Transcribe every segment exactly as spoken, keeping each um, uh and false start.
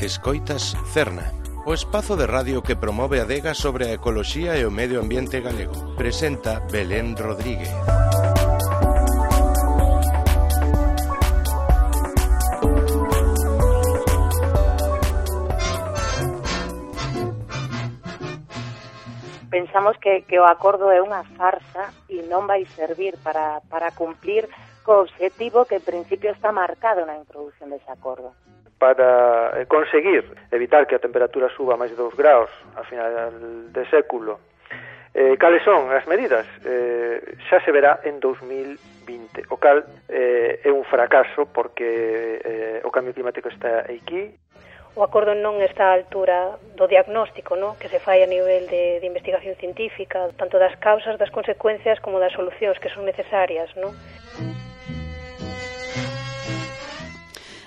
Escoitas Cerna, o espazo de radio que promove a adega sobre a ecoloxía e o medio ambiente galego. Presenta Belén Rodríguez. Pensamos que, que o acordo é unha farsa e non vai servir para, para cumplir co obxectivo que en principio está marcado na introducción dese acordo. Para conseguir evitar que a temperatura suba máis de dous graus a final de século, eh, cales son as medidas? Eh, xa se verá en dos mil vinte, o cal eh, é un fracaso porque eh, o cambio climático está aquí. O acordo non está á altura do diagnóstico, no? Que se fai a nivel de, de investigación científica, tanto das causas, das consecuencias, como das solucións que son necesarias, no?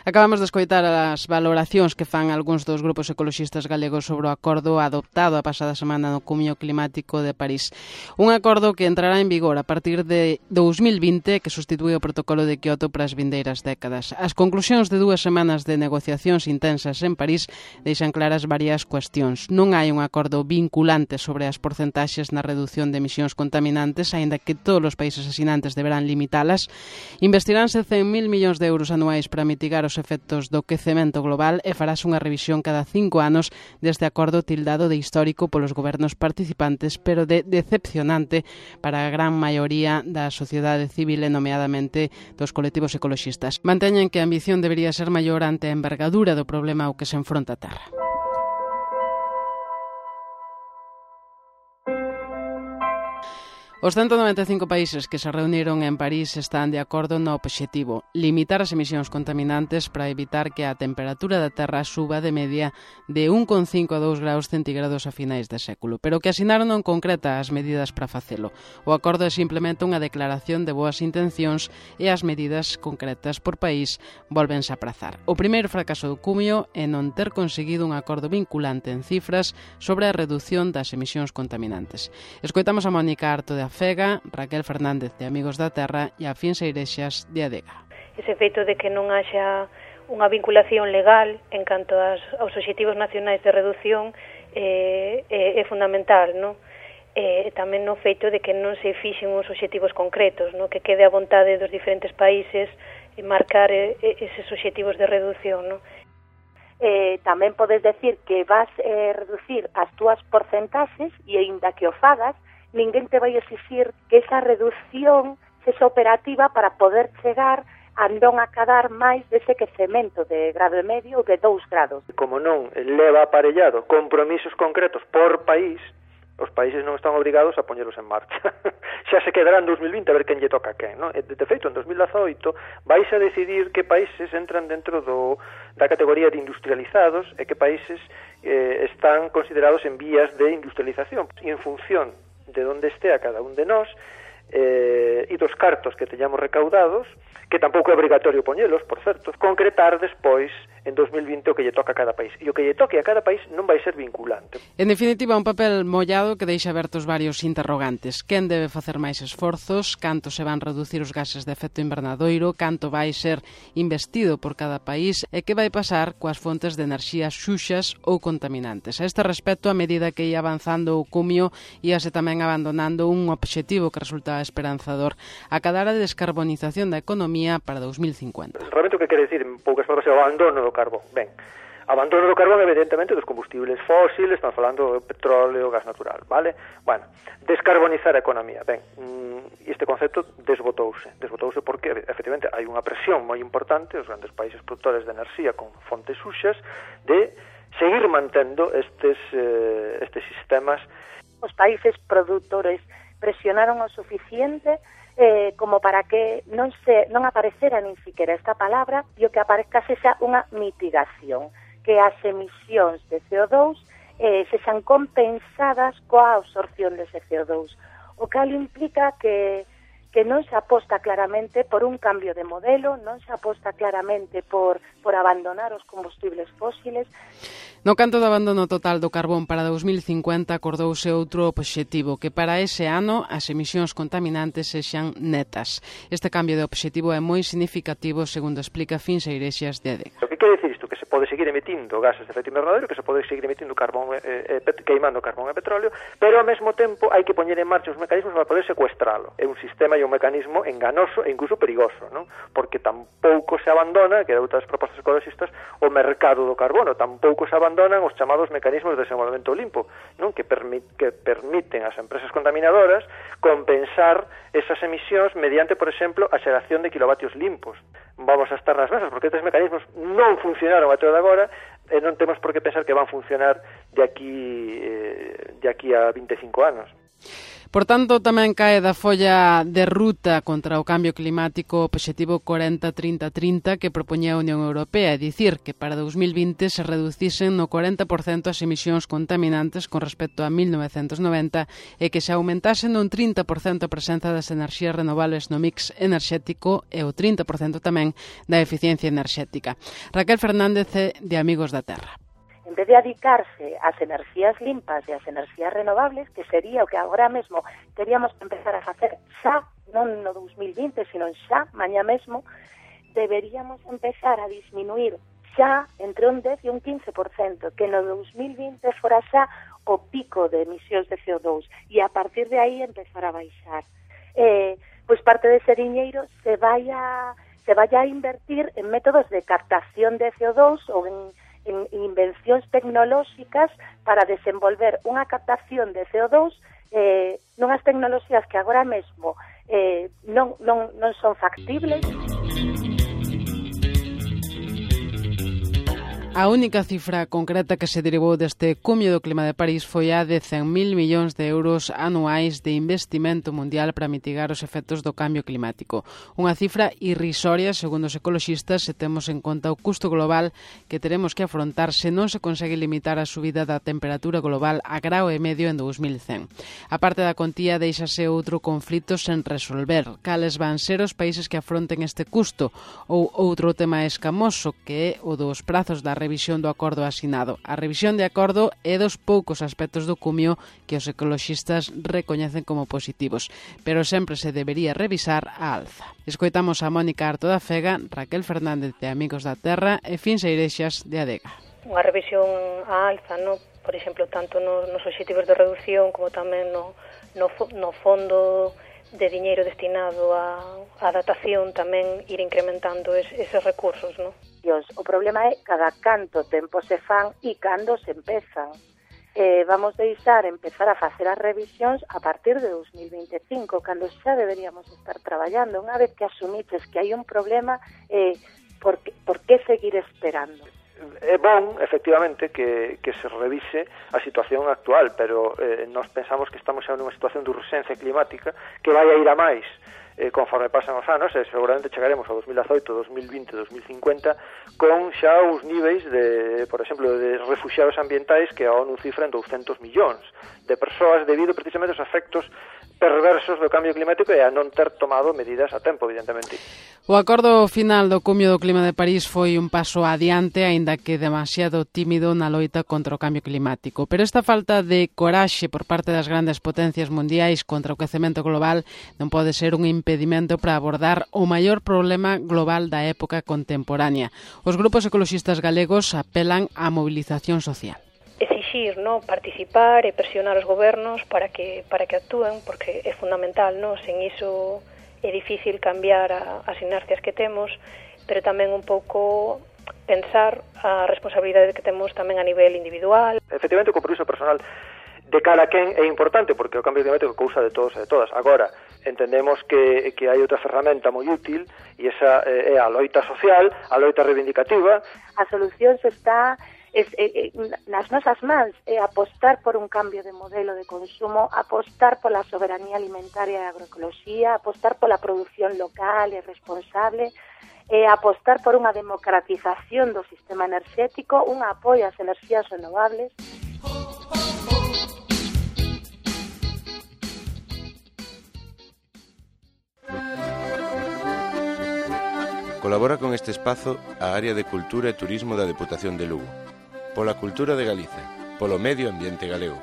Acabamos de escoitar as valoracións que fan algúns dos grupos ecoloxistas galegos sobre o acordo adoptado a pasada semana no Cumio Climático de París. Un acordo que entrará en vigor a partir de dos mil vinte, que sustitúe o protocolo de Kioto para as vindeiras décadas. As conclusións de dúas semanas de negociacións intensas en París deixan claras varias cuestións. Non hai un acordo vinculante sobre as porcentaxes na redución de emisións contaminantes, aínda que todos os países asinantes deberán limitalas. Investiránse cen mil millóns de euros anuais para mitigar os efectos do quecemento global e farás unha revisión cada cinco anos deste acordo tildado de histórico polos gobernos participantes, pero de decepcionante para a gran maioría da sociedade civil e nomeadamente dos colectivos ecoloxistas. Manteñen que a ambición debería ser maior ante a envergadura do problema ao que se enfronta a Terra. Os ciento noventa e cinco países que se reuniron en París están de acordo no obxectivo: limitar as emisións contaminantes para evitar que a temperatura da Terra suba de media de un coma cinco a dous graus centígrados a finais de século. Pero o que asinaron non concreta as medidas para facelo. O acordo é simplemente unha declaración de boas intencións e as medidas concretas por país volvense a aprazar. O primeiro fracaso do Cumio é non ter conseguido un acordo vinculante en cifras sobre a reducción das emisións contaminantes. Escoitamos a Mónica Arto de Fega, Raquel Fernández de Amigos da Terra e a Fins Eirexas de Adega. Ese feito de que non haxa unha vinculación legal en canto aos, aos obxectivos nacionais de reducción eh, é, é fundamental, non? E tamén no feito de que non se fixen uns obxectivos concretos, non? Que quede a vontade dos diferentes países marcar eh, eses obxectivos de reducción, non? Eh, tamén podes decir que vas eh, reducir as túas porcentaxes e aínda que o fagas, ninguén te vai exixir que esa reducción sexa operativa para poder chegar a non acadar máis dese quecemento de grado e medio ou de dous grados. Como non leva aparellado compromisos concretos por país, os países non están obrigados a poñelos en marcha. Xa se quedará en dos mil vinte a ver quen lle toca a quen, non? De feito, en dos mil dezaoito vais a decidir que países entran dentro do, da categoría de industrializados e que países eh, están considerados en vías de industrialización. E en función de onde estea cada un de nós eh, e dos cartos que teñamos recaudados, que tampouco é obrigatorio poñelos, por certo, concretar despois en dos mil vinte o que lle toca a cada país. E o que lle toque a cada país non vai ser vinculante. En definitiva, un papel mollado que deixa abertos varios interrogantes. Quen debe facer máis esforzos? Canto se van reducir os gases de efecto invernadoiro? Canto vai ser investido por cada país? E que vai pasar coas fontes de enerxía xuxas ou contaminantes? A este respecto, a medida que ia avanzando o Cumio, íase tamén abandonando un obxectivo que resulta esperanzador: acadar a descarbonización da economía para dos mil cincuenta. Realmente o que quere decir, en poucas palabras, é o abandono do carbón. Ben, abandono do carbón, evidentemente, dos combustibles fósiles, estamos falando do petróleo, gas natural, vale? Bueno, descarbonizar a economía. Ben, este concepto desbotouse. Desbotouse porque, efectivamente, hai unha presión moi importante, os grandes países produtores de enerxía con fontes suxas, de seguir mantendo estes, eh, estes sistemas. Os países produtores presionaron o suficiente eh, como para que non se non aparecera nin siquiera esta palabra e o que aparezca sexa unha mitigación, que as emisións de C O dos eh, sexan compensadas coa absorción dese C O dos, o cal implica que que non se aposta claramente por un cambio de modelo, non se aposta claramente por, por abandonar os combustibles fósiles. No canto do abandono total do carbón para dos mil cincuenta acordouse outro obxectivo, que para ese ano as emisións contaminantes sexan netas. Este cambio de obxectivo é moi significativo, segundo explica Fins Eirexas de Adega. O que quere dicir isto? Que se pode seguir emitindo gases de efecto invernadero, que se pode seguir emitindo carbón, eh, eh, queimando carbón e petróleo, pero ao mesmo tempo hai que poñer en marcha os mecanismos para poder secuestralo. É un sistema e un mecanismo enganoso e incluso perigoso, non? Porque tampouco se abandona, que é outras propostas ecologistas, o mercado do carbono, tampouco se abandonan os chamados mecanismos de desenvolvemento limpo, non? Que, permi que permiten ás empresas contaminadoras compensar esas emisións mediante, por exemplo, a xeración de kilovatios limpos. Vamos a estar nas mesas, porque estes mecanismos non funcionaron até de agora e non temos por que pensar que van funcionar de aquí, eh, de aquí a vinte e cinco anos. Por tanto, tamén cae da folla de ruta contra o cambio climático o obxectivo cuarenta trinta trinta que propoñía a Unión Europea, é dicir, que para dos mil vinte se reducisen no cuarenta por cento as emisións contaminantes con respecto a mil novecentos noventa e que se aumentasen un trinta por cento a presenza das enerxías renovables no mix enerxético e o trinta por cento tamén da eficiencia enerxética. Raquel Fernández é de Amigos da Terra. En vez de dedicarse ás enerxías limpas e ás enerxías renovables, que sería o que agora mesmo teríamos que empezar a facer xa, non no dos mil vinte, sino xa, mañá mesmo, deberíamos empezar a disminuir xa entre un dez e un quince por cento, que no dos mil vinte fora xa o pico de emisións de C O dos, e a partir de aí empezar a baixar. Eh, pois parte dese diñeiro se vai a, se vai a invertir en métodos de captación de C O dos ou en en invencións tecnolóxicas para desenvolver unha captación de C O dos eh, nunhas tecnoloxías que agora mesmo eh, non, non, non son factibles. A única cifra concreta que se derivou deste cumio do clima de París foi a de cen mil millóns de euros anuais de investimento mundial para mitigar os efectos do cambio climático. Unha cifra irrisoria, segundo os ecoloxistas, se temos en conta o custo global que teremos que afrontar se non se consegue limitar a subida da temperatura global a grao e medio en dos mil cen. A parte da contía, deixase outro conflito sen resolver. Cales van ser os países que afronten este custo? Ou outro tema escamoso, que é o dos prazos da revisión do acordo asinado. A revisión de acordo é dos poucos aspectos do cumio que os ecoloxistas recoñecen como positivos, pero sempre se debería revisar a alza. Escoitamos a Mónica Arto da Fega, Raquel Fernández de Amigos da Terra e Fins Eirexas de Adega. Unha revisión a alza, no? Por exemplo, tanto nos, nos obxectivos de reducción como tamén no, no, no fondo de diñeiro destinado a, a adaptación, tamén ir incrementando es, eses recursos, non? O problema é cada canto tempo se fan e cando se empezan. Eh, vamos deixar empezar a facer as revisións a partir de dos mil vinte e cinco, cando xa deberíamos estar traballando. Unha vez que asumiches que hai un problema, eh, por, que, por que seguir esperando? É bon, efectivamente, que, que se revise a situación actual, pero eh, nós pensamos que estamos xa nunha situación de urxencia climática que vai a ir a máis eh, conforme pasan os anos, e seguramente chegaremos ao dos mil dezoito, dos mil vinte, dos mil cincuenta con xa os niveis de, por exemplo, de refuxiados ambientais que a ONU cifra en douscentos millóns de persoas debido precisamente aos efectos perversos do cambio climático e a non ter tomado medidas a tempo, evidentemente. O acordo final do cumio do clima de París foi un paso adiante, aínda que demasiado tímido na loita contra o cambio climático. Pero esta falta de coraxe por parte das grandes potencias mundiais contra o quecemento global non pode ser un impedimento para abordar o maior problema global da época contemporánea. Os grupos ecoloxistas galegos apelan á mobilización social. Exixir, no, participar e presionar os gobernos para que para que actúen, porque é fundamental, no, sen iso é difícil cambiar a, as inercias que temos, pero tamén un pouco pensar a responsabilidade que temos tamén a nivel individual. Efectivamente, o compromiso personal de cara a quen é importante, porque o cambio climático é cousa de todos e de todas. Agora, entendemos que, que hai outra ferramenta moi útil, e esa é a loita social, a loita reivindicativa. A solución se está Es, eh, nas nosas mans, é eh, apostar por un cambio de modelo de consumo, apostar pola soberanía alimentaria e agroecoloxía, apostar pola produción local e responsable, eh, apostar por unha democratización do sistema enerxético, un apoio ás enerxías renovables. Colabora con este espazo a Área de Cultura e Turismo da Deputación de Lugo. Pola cultura de Galicia, polo medio ambiente galego.